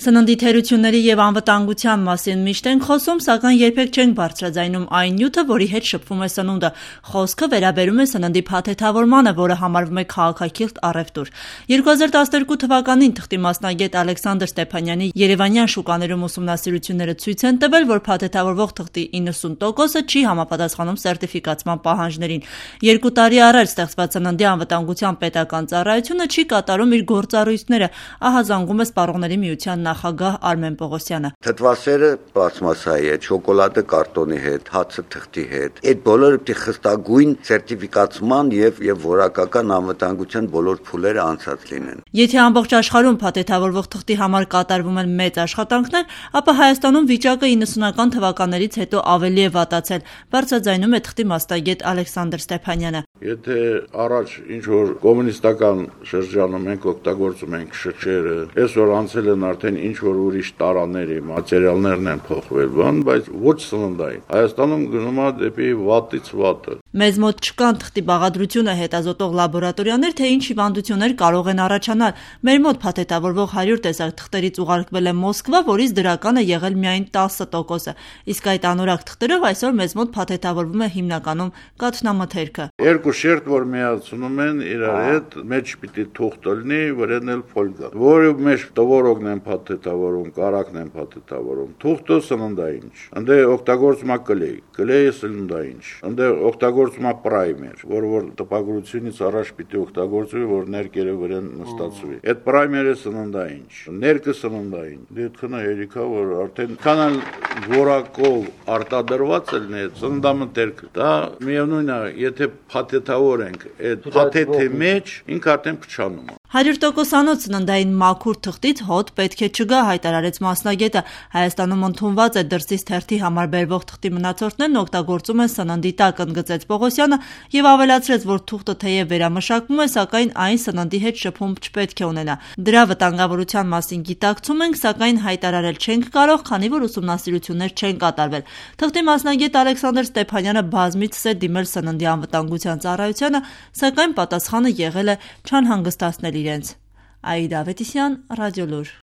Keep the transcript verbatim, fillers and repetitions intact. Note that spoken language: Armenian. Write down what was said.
Սննդի թերությունների և անվտանգության մասին միշտ ենք խոսում, սակայն երբեք չենք բարձրաձայնում այն նյութը, որի հետ շփվում է սնունդը։ Խոսքը վերաբերում է սննդի փաթեթավորմանը, որը համարվում է քաղաքակիրթ առևտուր։ երկու հազար տասներկու թվականին թղթի մասնագետ Ալեքսանդր Ստեփանյանի երևանյան շուկաներում ուսումնասիրությունները ցույց են տվել, որ փաթեթավորվող թղթի իննսուն տոկոսը չի համապատասխանում սերտիֆիկացման պահանջներին։ Երկու տարի առաջ ստեղծված Սննդի անվտանգության պետական ծառայությունը չի կատարում իր գործառույթները, ահա զանգում է Սպառողների միության նախագահ Արմեն Պողոսյանը։ Թթվասերը պլաստմասայի հետ, շոկոլադը կարտոնի հետ, հացը թղթի հետ, այդ բոլորը պետք է խստագույն սերտիֆիկացման եւ եւ որակական անվտանգության բոլոր փուլերը անցած լինեն։ Եթե ամբողջ աշխարհում փաթեթավորվող թղթի համար կատարվում են մեծ աշխատանքներ, ապա Հայաստանում վիճակը իննսունական թվականներից հետո ավելի է վատացել, բարձրաձայնում է թղթի մասնագետ Ալեքսանդր Ստեփանյանը։ Եթե առաջ ինչ որ կոմունիստական շրջանում ենք օգտագործում ենք շրջերը, այսօր անցել են արդեն ինչ որ ուրիշ տարաների մատերիալներն են փոխվել, բան, բայց ոչ սննդային։ Հայաստանում գնում է դեպի վատից վատը։ Մեզ մոտ չկան թղթի բաղադրությունը հետազոտող լաբորատորիաներ, թե ինչ հիվանդություններ կարող են առաջանալ։ Մեր մոտ փաթեթավորվող հարյուր տեսակ թղթերից ուղարկվել է Մոսկվա, որից դրական է եղել միայն տասը տոկոսը, իսկ այդ անորակ թղթերով այսօր մեզ մոտ փաթեթավորվում է հիմնականում կաթնամթերքը։ Երկու շերտ, որ միացնում են իրար հետ, մեջ պիտի թուղթ լինի, վրան էլ ֆոլգա, որը մեջ տվորոգն են փաթեթավորում, կարակն են փաթեթավորում, թուղթը սննդային չէ։ Անդե օգտագործում է կլեյ, կլեյը սննդային չէ։ Անդե օգտագործում է պրայմեր, որը որ տպագրությունից առաջ պիտի օգտագործվի, որ ներկերը վրան նստացվի։ Այդ պրայմերը սննդային չէ, ներկը սննդային։ Դե քնա երիկա, որ արդեն քանալ որակով արտադրված էլ ներ սննդամթերքը։ Դա միևնույնն է, եթե փաթեթավոր ենք, այդ փաթեթի մեջ ինքը արդեն փչանում է։ հարյուր տոկոսանոց սննդային մաքուր թղթից հոտ պետք է չգա, հայտարարեց մասնագետը։ Հայաստանում ընդունված է դրսից թերթի համար բերվող թղթի մնացորդներն օգտագործում են սննդի տակ, ընդգծեց Պողոսյանը եւ ավելացրեց, որ թուղթը թեև վերամշակվում է, սակայն այն սննդի հետ շփում չպետք է ունենա։ Դրա վտանգավորության մասին գիտակցում ենք, սակայն հայտարարել չենք կարող, քանի որ ուսումնասիրություններ չեն կատարվել։ Թղթի մասնագետ Ալեքսանդր Ստեփանյանը բազմիցս է դիմել Սննդի անվտանգության ծառայությանը, սակայն պատասխանը եղել է չանհանգստացնել իրենց։ Աիդա Ավետիսյան, Ռադիոլուր։